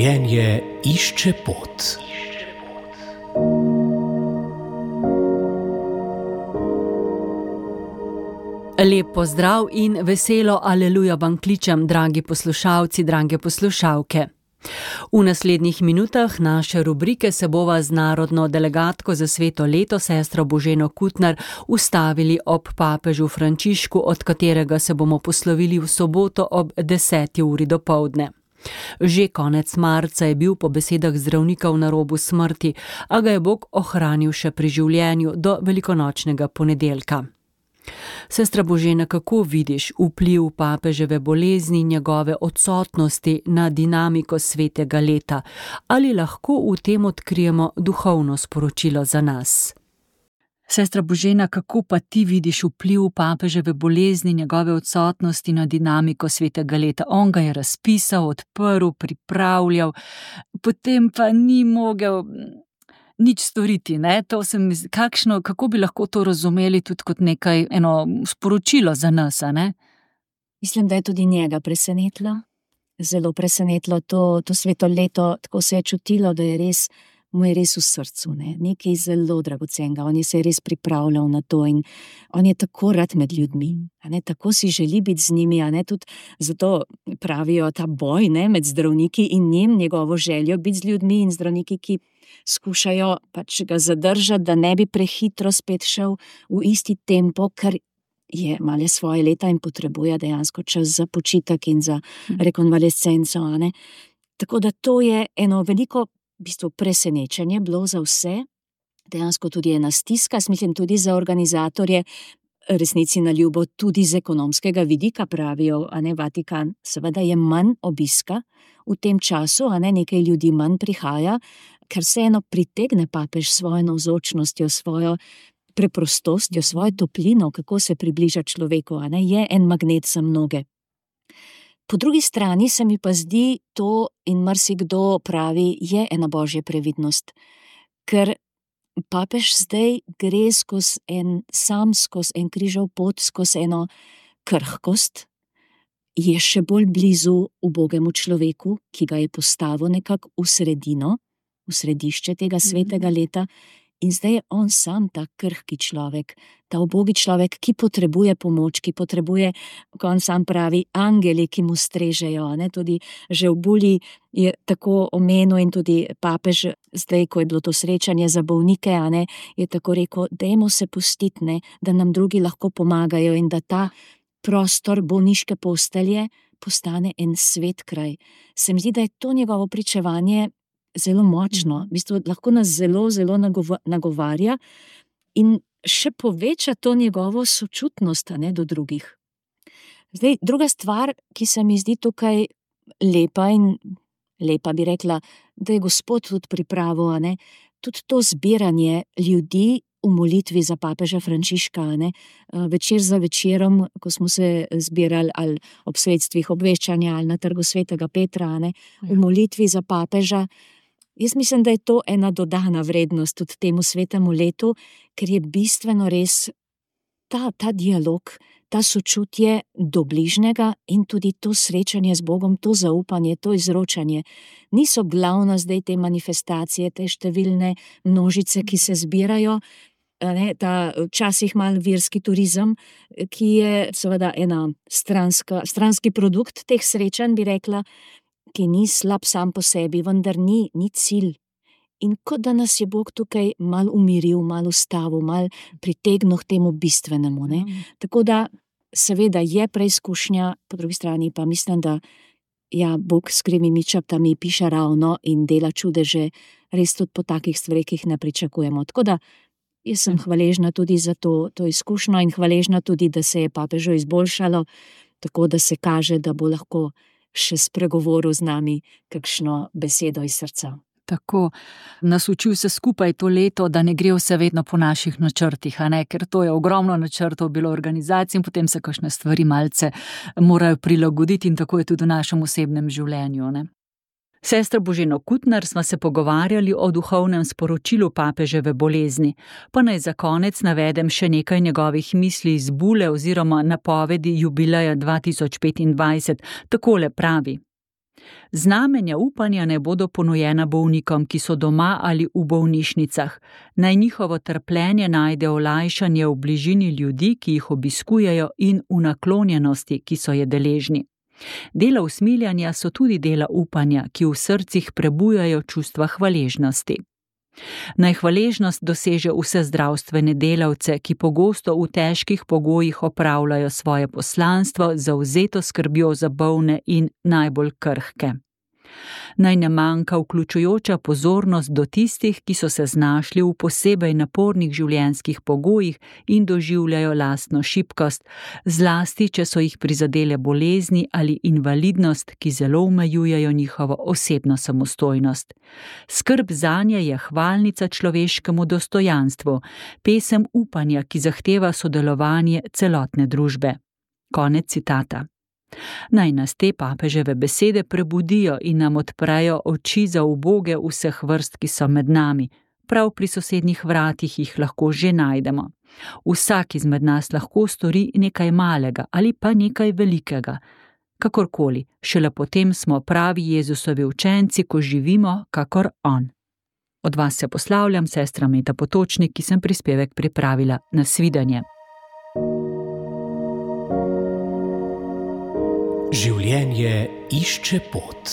Življenje išče pot. Lep pozdrav in veselo aleluja vam kličem, dragi poslušalci, drage poslušalke. V naslednjih minutah naše rubrike se bova z narodno delegatko za sveto leto, sestro Boženo Kutner, ustavili ob papežu Frančišku, od katerega se bomo poslovili v soboto ob 10. uri dopoldne. Že konec marca je bil po besedah zdravnikov na robu smrti, a ga je Bog ohranil še pri življenju do velikonočnega ponedeljka. Sestra Božena, kako vidiš vpliv papeževe bolezni in njegove odsotnosti na dinamiko svetega leta? Ali lahko v tem odkrijemo duhovno sporočilo za nas? Sestra Božena, kako pa ti vidiš vpliv papeževe bolezni in njegove odsotnosti na dinamiko svetega leta? On ga je razpisal, odprl, pripravljal, potem pa ni mogel nič storiti, ne? Kako bi lahko to razumeli tudi kot eno sporočilo za nas, a ne? Mislim, da je tudi njega presenetilo, zelo presenetilo to sveto leto, tako se je čutilo, da mu je res v srcu, ne? Nekaj zelo dragocenega, on se je res pripravljal na to in on je tako rad med ljudmi, a ne? Tako si želi biti z njimi, a ne? Tudi zato pravijo ta boj, ne? Med zdravniki in njegovo željo biti z ljudmi in zdravniki, ki skušajo pač ga zadržati, da ne bi prehitro spet šel v isti tempo, ker je malo svoje leta in potrebuje dejansko čas za počitek in za rekonvalescenco, a ne. Tako da to je eno veliko v bistvu presenečenje bilo za vse, dejansko tudi ena stiska, mislim tudi za organizatorje, resnici na ljubo tudi z ekonomskega vidika pravijo, a ne, Vatikan, seveda je manj obiska v tem času, a ne, nekaj ljudi manj prihaja, ker vseeno pritegne papež svojo navzočnostjo, svojo preprostostjo, svojo toplino, kako se približa človeku, a ne, je en magnet za mnoge. Po drugi strani se mi pa zdi to, in marsikdo pravi, je ena božja previdnost, ker papež zdaj gre skozi en križev pot, skozi eno krhkost, je še bolj blizu ubogemu človeku, ki ga je postavil nekako v sredino, v središče tega svetega leta, in zdaj je on sam ta krhki človek, ta ubogi človek, ki potrebuje pomoč, ki potrebuje, ko on sam pravi, angeli, ki mu strežejo, ne, tudi že v Buli je tako omenil in tudi papež, zdaj, ko je bilo to srečanje za bolnike, a ne, je tako rekel, dajmo se pustiti, ne, da nam drugi lahko pomagajo in da ta prostor bolniške postelje postane en svet kraj. Se mi zdi, da je to njegovo pričevanje zelo močno, v bistvu lahko nas zelo, zelo nagovarja in še poveča to njegovo sočutnost, a ne, do drugih. Zdaj, druga stvar, ki se mi zdi tukaj lepa bi rekla, da je Gospod tudi pripravil, a ne, tudi to zbiranje ljudi v molitvi za papeža Frančiška, a ne, večer za večerom, ko smo se zbirali ali ob sredstvih obveščanja ali na trgu svetega Petra, a ne, v molitvi za papeža. Jaz mislim, da je to ena dodana vrednost tudi temu svetemu letu, ker je bistveno res ta dialog, ta sočutje do bližnjega in tudi to srečanje z Bogom, to zaupanje, to izročanje. Niso glavna zdaj te manifestacije, te številne množice, ki se zbirajo, ne, ta včasih malo verski turizem, ki je seveda ena stranski produkt teh srečanj, bi rekla, ki ni slab sam po sebi, vendar ni cilj. In kot da nas je Bog tukaj malo umiril, malo ustavil, malo pritegnil k temu bistvenemu, ne. Tako da seveda je preizkušnja, po drugi strani pa mislim, da Bog s krivimi črtami piše ravno in dela čudeže res tudi po takih stvareh, ki jih ne pričakujemo. Tako da jaz sem hvaležna tudi za to izkušnjo in hvaležna tudi, da se je papežu izboljšalo, tako da se kaže, da bo lahko še spregovoril z nami kakšno besedo iz srca. Tako, nas uči vse skupaj to leto, da ne gre vse vedno po naših načrtih, a ne, ker to je ogromno načrtov bilo organizacij in potem se kakšne stvari malce morajo prilagoditi in tako je tudi v našem osebnem življenju, ne. Sestra Boženo Kutner sva se pogovarjali o duhovnem sporočilu papeževe bolezni, pa naj za konec navedem še nekaj njegovih misli iz Bule oziroma napovedi jubileja 2025. Takole pravi: Znamenja upanja ne bodo ponujena bolnikom, ki so doma ali v bolnišnicah. Naj njihovo trpljenje najde olajšanje v bližini ljudi, ki jih obiskujejo, in v naklonjenosti, ki so je deležni. Dela usmiljanja so tudi dela upanja, ki v srcih prebujajo čustva hvaležnosti. Naj hvaležnost doseže vse zdravstvene delavce, ki pogosto v težkih pogojih opravljajo svoje poslanstvo, zavzeto skrbjo za bolne in najbolj krhke. Naj ne manjka vključujoča pozornost do tistih, ki so se znašli v posebej napornih življenjskih pogojih in doživljajo lastno šibkost, zlasti, če so jih prizadele bolezni ali invalidnost, ki zelo omejujejo njihovo osebno samostojnost. Skrb zanje je hvalnica človeškemu dostojanstvu, pesem upanja, ki zahteva sodelovanje celotne družbe. Konec citata. Naj nas te papeževe besede prebudijo in nam odprejo oči za uboge vseh vrst, ki so med nami. Prav pri sosednjih vratih jih lahko že najdemo. Vsak izmed nas lahko stori nekaj malega ali pa nekaj velikega. Kakorkoli, šele potem smo pravi Jezusovi učenci, ko živimo kakor on. Od vas se poslavljam, sestra Meta Potočnik, ki sem prispevek pripravila. Nasvidenje. Življenje išče pot.